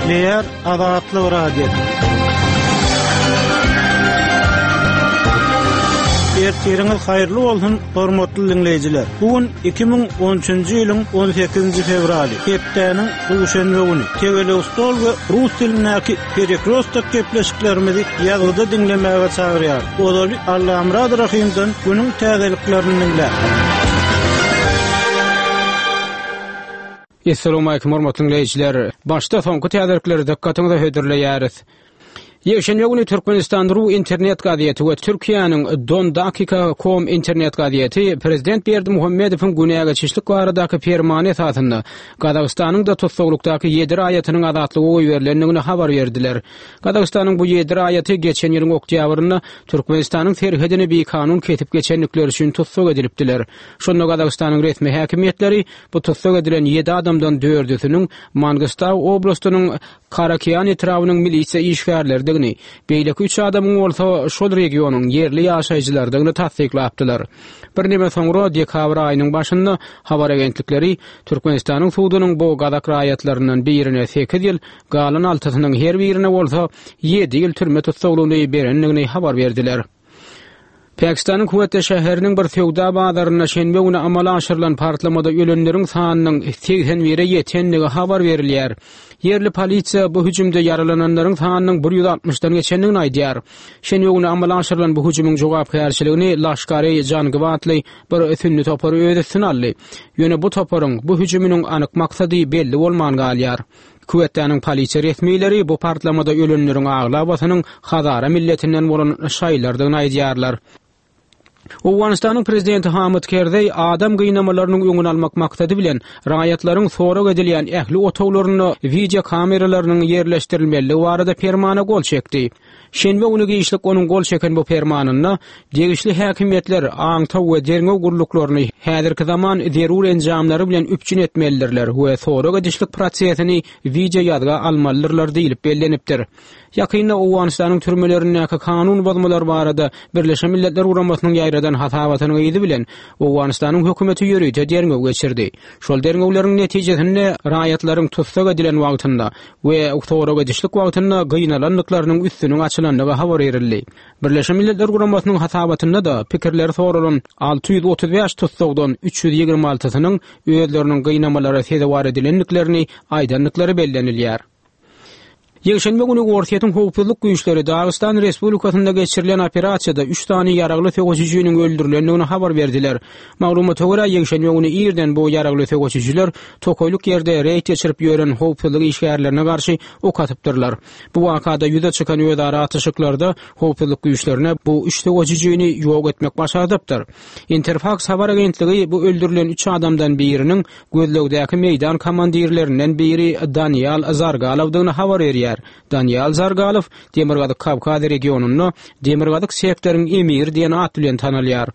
Gepleýär Azatlyk Radiosy. Ertiriňiz haýyrly bolsun, hormatly diňleýjiler. Bu gün 2013-nji ýylyň 18-nji fewraly, hepdäniň duşenbe güni. Tegelek stol we rus dilindäki Perekrostok gepleşiklerimizi ýazgyda diňlemäge çagyrýarys. Ozaly Allamyrat Rahymdan günüň täzeliklerini diňläň. Essalawmalikim hormatly diňleýjiler! Başda soňky täzelikleri dykgatyňyza hödürleýäris. Ýekşenbe güni Türkmenistan ru internet gazeti we Türkiýäniň Dondakika com internet gazeti prezident Berdimuhamedowyň günä geçişlik baradaky permany esasynda Gazagystanyň-da tussaglykdaky ýedi raýatynyň azatlyga goýberilendigini habar berdiler. Gazagystanyň bu ýedi raýaty geçen ýylyň oktýabrynda Türkmenistanyň serhedini bikanun kesip geçendikleri üçin tussag edilipdiler. Şonda Gazagystanyň resmi häkimiýetleri bu tussag edilen ýedi adamdan dördüsiniň Mangystau oblastynyň Karakian etrabynyň milisiýa işgärleridigini, beýleki üç adamyň bolsa şol regionyň ýerli ýaşaýjylarydygyny tassyklapdylar. Birneme soňra, dekabr aýynyň başynda habar agentlikleri Türkmenistanyň sudunyň bu gazak raýatlaryndan birine sekiz ýyl, galan altysynyň her birine bolsa ýedi ýyl türme tussaglygyny berendigini habar berdiler. Pakistanyň Kwetta şäheriniň bir söwda bazarynda şenbe güni amala aşyrylan partlamada ölenleriň sanynyň 81-e ýetendigi habar berilýär. Ýerli polisiýa bu hüjümde ýaralananlaryň sanynyň 160-dan geçendigini aýdýar. Şenbe güni amala aşyrylan bu hüjümiň jogapkärçiligini Laşkar-e Jangiw atly bir sünni topary öz üstüne aldy. Ýöne bu toparyň bu hüjüminiň anyk maksady belli bolman galýar. Kwettanyň polisiýa resmileri bu partlamada ölenleriň aglabasynyň hazara milletinden bolan şaýylardygyny aýdýarlar. Owganystanyň prezidenti Hamid Kerzeý adam gynamalarynyň öňüni almak maksady bilen raýatlaryň sorag edilýän ähli otaglarynda wideo kameralarynyň ýerleşdirilmelidigi barada permana gol çekdi. Şenbe güni giçlik onuň gol çeken bu permanynda degişli häkimiýetler aňtaw we derňew gulluklaryny häzirki zaman zerur enjamlary bilen üpjün etmelidirler we sorag edişlik prosesini wideo ýazga almalydyrlar diýlip bellenipdir. Ýakynda Owganystanyň türmelerindäki kanun bozmalar barada Birleşen Milletler Guramasynyň ýaýradan hasabatynyň yzy bilen Owganystanyň hökümeti ýörite derňew geçirdi. Şol derňewleriň netijesinde raýatlaryň tussag edilen wagtynda we sorag edişlik wagtynda gynalandyklarynyň üstüniň açylandygy habar berildi. Birleşen Milletler Guramasynyň hasabatynda-da pikirleri soralan 635 tussagdan 326-synyň özleriniň gynamalara sezewar edilendiklerini aýdandyklary bellenilýär. Ýekşenbe güni Orsýetiň howpsuzlyk güýçleri Dagystan Respublikasynda geçirilen operasiýada üç sany ýaragly söweşijiniň öldürilendigini habar berdiler. Maglumata görä, ýekşenbe güni irden bu ýaragly söweşijiler tokaýlyk ýerde reýd geçirip ýören howpsuzlyk işgärlerine garşy ok atypdyrlar. Bu wakada ýüze çykan özara atyşyklarda howpsuzlyk güýçlerine bu üç söweşijini ýok etmek başardypdyr. Interfaks habar agentligi bu öldürilen üç adamdan biriniň gözlegdäki meýdan komandirlerinden biri Daniýal Zargalowdygyny habar berýär. Daniýal Zargalow Demirgazyk Kawkaz regionynda Demirgazyk sektoryň emiri diýen at bilen tanalýar.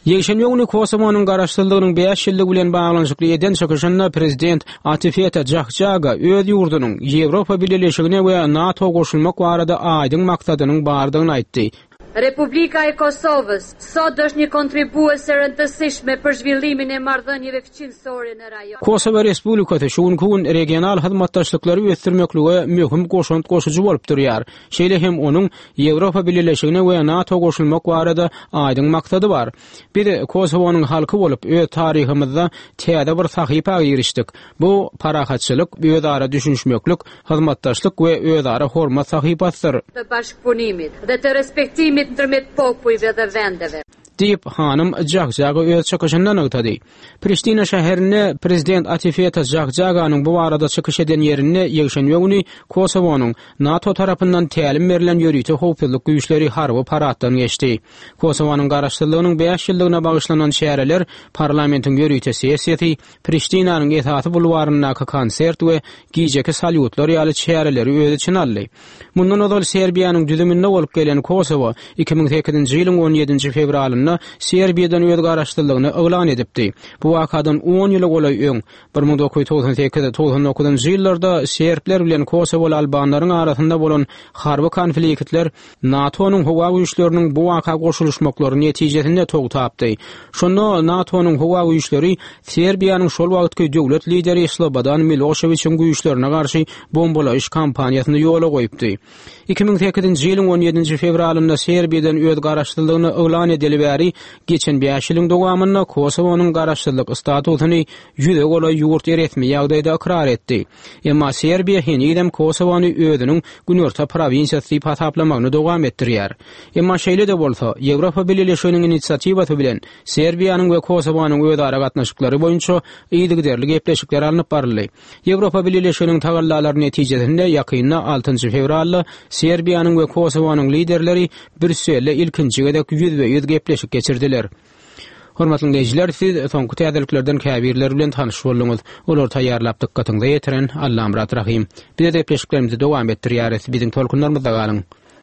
Ýekşenbe güni Kosowonyň garaşsyzlygynyň bäş ýyllygy bilen baglanyşykly eden çykyşynda prezident Atifeta Jahjaga öz ýurdunyň Ýewropa Bileleşigine we NATO goşulmak barada aýdyň maksadynyň bardygyny aýtdy. Republika e Kosovës sot është një kontribuese e rëndësishme për zhvillimin e marrëdhënieve fqinjësore në rajon. Kosowa Respublikasy şu günki gün regional hyzmatdaşlyklary ösdürmeklige möhüm goşant goşujy bolup durýar. Şeýle hem onuň Ýewropa Bileleşigine we NATO goşulmak barada aýdyň maksady bar. Biz Kosowonyň halky bolup, öz taryhymyzda täze bir sahypa girişdik. Bu, parahatçylyk, özara düşünişmeklik, hyzmatdaşlyk we özara hormat sahypasydyr. Të bashkëpunimit dhe të respektimit ndërmjet popujve dhe vendeve. Diýip, hanym Jahjaga öz çykyşynda nygtady. Priştina şäherinde prezident Atifeta Jahjaganyň bu barada çykyş eden ýerinde ýekşenbe güni Kosowonyň NATO tarapyndan tälim berlen ýörite howpsuzlyk güýçleri harby paraddan geçdi. Kosowanyň garaşsyzlygynyň bäş ýyllygyna bagyşlanan çäreler parlamentiň ýörite sessiýasy, Priştinanyň esasy bulwaryndaky konsert we gijeki salýutlar ýaly çäreleri öz içine aldy. Mundan ozal Serbiýanyň düzüminde bolup gelen Kosowo 2008-nji ýylyň on ýedinji fewralynda. fevralynda Serbiýadan öz garaşsyzlygyny yglan edipdi. Bu wakadan on ýyla golaý öň, 1998, 99-njy ýyllarda serbler bilen kosowaly albanlaryň arasynda bolan harby konfliktler NATO-nyň howa güýçleriniň bu waka goşulyşmaklary netijesinde togtapdy. Şonda NATO-nyň howa güýçleri Serbiýanyň şol wagtky döwlet lideri Slobodan Miloşewiçiň güýçlerine garşy bombalaýyş kampaniýasyny ýola goýupdy. 2008-nji ýylyň 17-nji fewralynda Serbiýadan öz garaşsyzlygyny yglan edeli bäri geçen bäş ýylyň dowamynda Kosowonyň garaşsyzlyk statusyny ýüze golaý ýurt resmi ýagdaýda ykrar etdi. Emma Serbiýa henizem Kosowony özüniň günorta prowinsiýasy diýip hasaplamagyny dowam etdirýär. Emma şeýle-de bolsa, Ýewropa Bileleşiginiň inisiatiwasy bilen Serbiýanyň we Kosowonyň özara gatnaşyklary boýunça yzygiderli gepleşikler alnyp baryldy. Ýewropa Bileleşiginiň tagallalary netijesinde ýakynda altynjy fewralda Serbiýanyň we Kosowonyň liderleri Brýusselde ilkinji gezek ýüzbe-ýüz gepleşik geçirdiler. Hormatly diňleýjiler, siz soňky täzeliklerden käbirleri bilen tanyş bolduňyz. Olary taýýarlap dykgatyňyza ýetiren Allamyrat Rahym. Biz öz gepleşiklerimizi dowam etdirýäris. Biziň tolkunlarymyzda galyň.